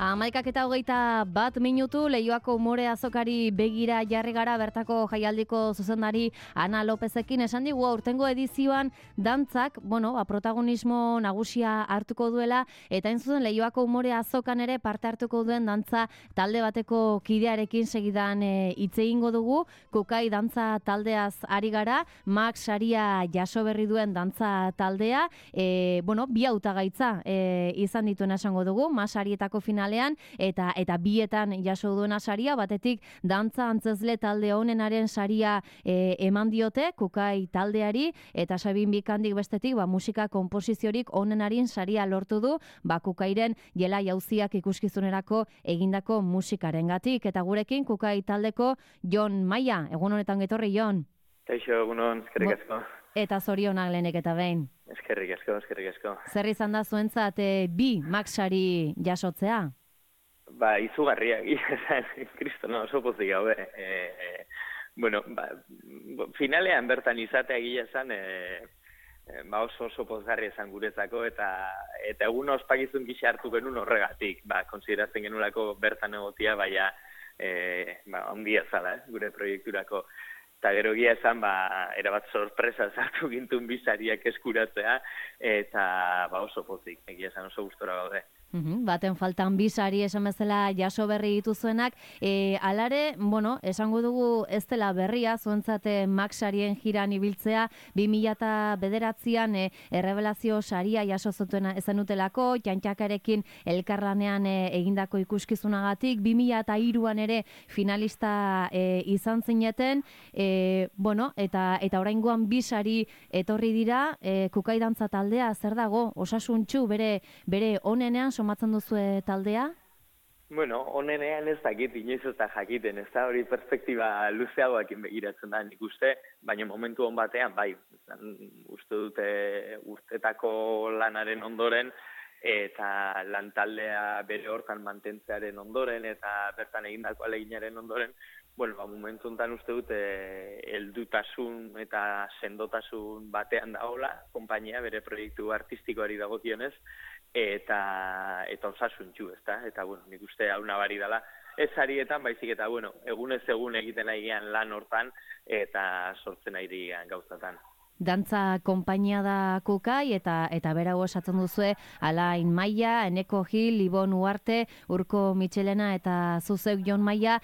11:21 Leioako umore azokari begira jarri gara bertako jaialdiko zuzendari Ana Lopezekin esan digu aurtengo edizioan dantzak, protagonismo nagusia hartuko duela eta hain zuzen Leioako umore azokan ere parte hartuko duen dantza talde bateko kidearekin segidan hitz egingo dugu. Kukai dantza taldeaz ari gara, Max saria jaso berri duen dantza taldea, bi hautagaitza izan dituen esango dugu, Max sarietako finalean eta bietan jaso duena saria, batetik dantza antzezle talde honenaren saria eman diote Kukai taldeari, eta Sabin Bikandik bestetik musika konposiziorik honenarin saria lortu du Kukairen jela jauziak ikuskizunerako egindako musikarengatik. Eta gurekin Kukai taldeko Jon Maia, egun honetan getorri Jon. Kaixo, egunon, eskerrik asko. Eta zorionak lehenek eta behin. Eskerrik asko. Zer izan da zuentzat bi Max sari jasotzea? Izugarria, kristo, oso pozik gabe. Finalean bertan izatea gila esan, oso pozgarri esan guretzako, eta egun ospakizun gisa hartu genuen horregatik, konsideratzen genulako bertan egotia, ondia zala, gure proiekturako. Eta gero gia esan, erabat sorpresa zartu gintun bizariak eskuratzea, eta oso pozik, egia esan oso gustora gaude. Baten faltan bizari esan bezala jaso berri dituzuenak, alare, esango dugu ez dela berria, zuentzate Max sarien jiran ibiltzea, 2009an errebelazio saria jaso zuten utelako, Jantxakarekin elkarlanean egindako ikuskizunagatik, 2003an ere finalista izan zineten, eta oraingoan bizari etorri dira, Kukai dantza taldea zer dago, osasuntsu bere onenean somatzen duzue taldea? Onenean ez dakit, inoiz ez da jakiten, ez da hori perspektiba luzeagoakin begiratzen da nik uste, baina momentu hon batean, uste dute urtetako lanaren ondoren, eta lantaldea bere hortan mantentzearen ondoren, eta bertan egindako aleginaren ondoren, momentu honetan uste dute heldutasun eta sendotasun batean dagoela, konpainia bere proiektu artistikoari dagokionez, eta osasuntxu, ezta? Eta, nik uste hau nabari dela, ez sarietan, baizik eta, egunez egun egiten ari gian lan hortan, eta sortzen ari gian gauzatan. Dantza konpainia da Kukai, eta berago esatzen duzue, Alain Maia, Eneko Gil, Ibon Uarte, Urko Mitxelena eta zuzeuk Jon Maia,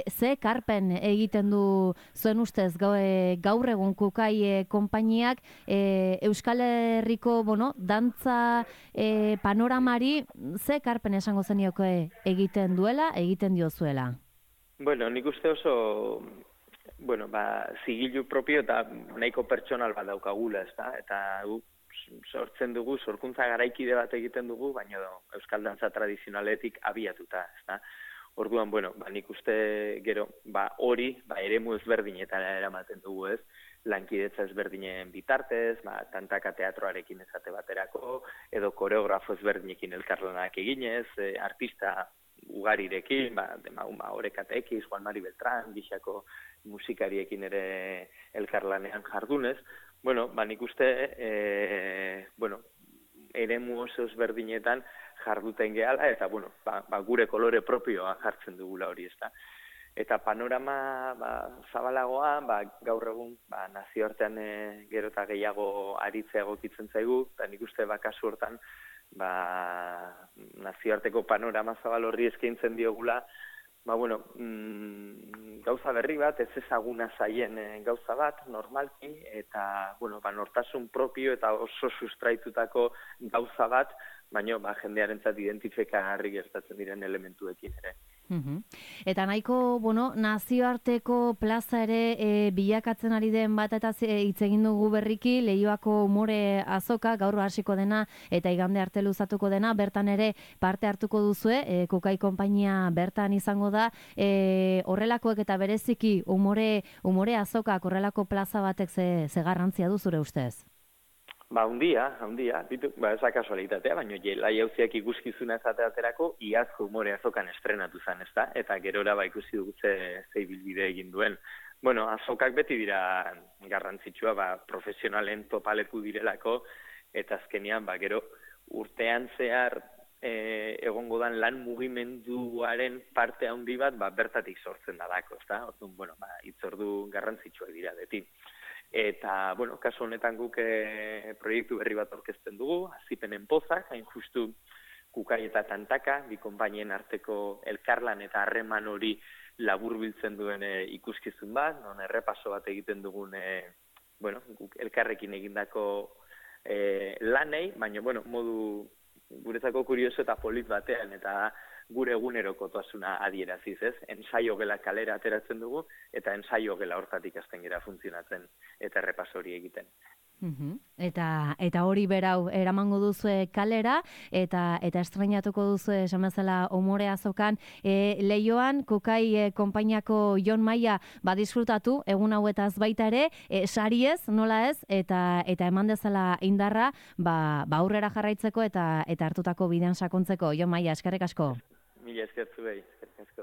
ze karpen egiten du zuen ustez gaur egun Kukai konpainiak Euskal Herriko dantza panoramari ze karpen esango zenioke egiten duela, egiten diozuela? Nik uste oso zigilu propio eta nahiko pertsonal bat daukagula, eta sortzen dugu, sorkuntza garaikide bat egiten dugu, baina euskal dantza tradizionaletik abiatuta, ezta? Orduan, nik uste gero, hori, eremu ezberdinetara eramaten dugu, ez? Lankidetza ezberdinen bitartez, tantaka teatroarekin esate baterako, edo koreografo ezberdinekin elkarlanak eginez, artista ugarirekin, Orekatekiz, Juan Mari Beltrán, gixako musikariekin ere elkarlanean jardunez. Nik uste, eremu oso ezberdinetan jarduten gehala, eta, gure kolore propioa jartzen dugula hori, ezta. Eta panorama zabalagoa, gaur egun nazioartean gero eta gehiago aritzea egokitzen zaigu, eta nik uste kasu hortan nazioarteko panorama zabal horri eskaintzen diogula, gauza berri bat, ez ezaguna zaien gauza bat, normalki, eta nortasun propio eta oso sustraitutako gauza bat, baina jendearentzat identifikagarri gertatzen diren elementuekin ere. Eta nahiko, nazioarteko plaza ere bilakatzen ari den bat eta hitz egin dugu berriki, Leioako umore azoka, gaur hasiko dena eta igande arte luzatuko dena, bertan ere parte hartuko duzue, Kukai konpainia bertan izango da, horrelakoek eta bereziki umore azokak, horrelako plaza batek ze garrantzia du zure ustez? Handia, ez da kasualitatea, baina jela jauziak ikuskizuna ezateaterako iazko umore azokan estrenatu zen, ezta? Eta gerora ikusi dugu ze ibilbide egin duen. Azokak beti dira garrantzitsua, profesionalen topaleku direlako, eta azkenean, gero urtean zehar egongo dan lan mugimenduaren parte handi bat bertatik sortzen dalako, ezta? Orduan, hitzordu garrantzitsuak dira beti. Eta, kasu honetan guk proiektu berri bat aurkezten dugu, Azipenen Pozak, hain justu Kukai eta Tantaka, bi konpainien arteko elkarlan eta harreman hori laburbiltzen duen ikuskizun bat, non errepaso bat egiten dugun, guk elkarrekin egindako lanei, baina, modu guretzako kurioso eta polit batean, eta gure egunerokotasuna adieraziz, ez? Ensaio gela kalera ateratzen dugu, eta ensaio gela hortatik hasten gera funtzionatzen, eta errepaso hori egiten. Eta hori berau eramango duzue kalera, eta estrenatuko duzue esan bezala Umore Azokan Leioan, Kukai konpainiako Jon Maia disfrutatu egun hauetaz baita ere, sariez, nola ez, eta eman dezala indarra, aurrera jarraitzeko eta hartutako bidean sakontzeko. Jon Maia, eskerrik asko. Mila eskertzu behi, eskerrik asko.